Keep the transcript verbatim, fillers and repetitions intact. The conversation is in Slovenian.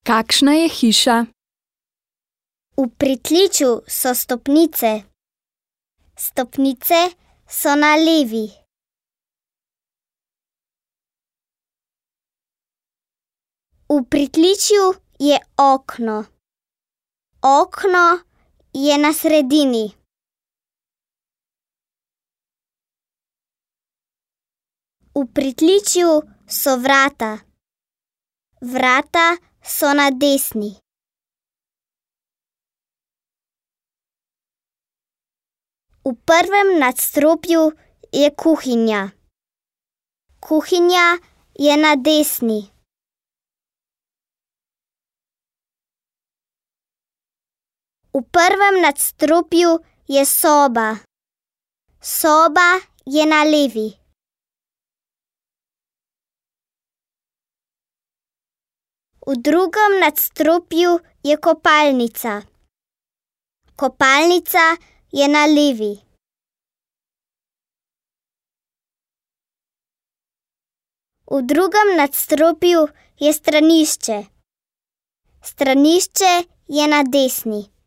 Kakšna je hiša? V pritličju so stopnice. Stopnice so na levi. V pritličju je okno. Okno je na sredini. V pritličju so vrata. Vrata so na desni. V prvem nadstropju je kuhinja. Kuhinja je na desni. V prvem nadstropju je soba. Soba je na levi. V drugem nadstropju je kopalnica. Kopalnica je na levi. V drugem nadstropju je stranišče. Stranišče je na desni.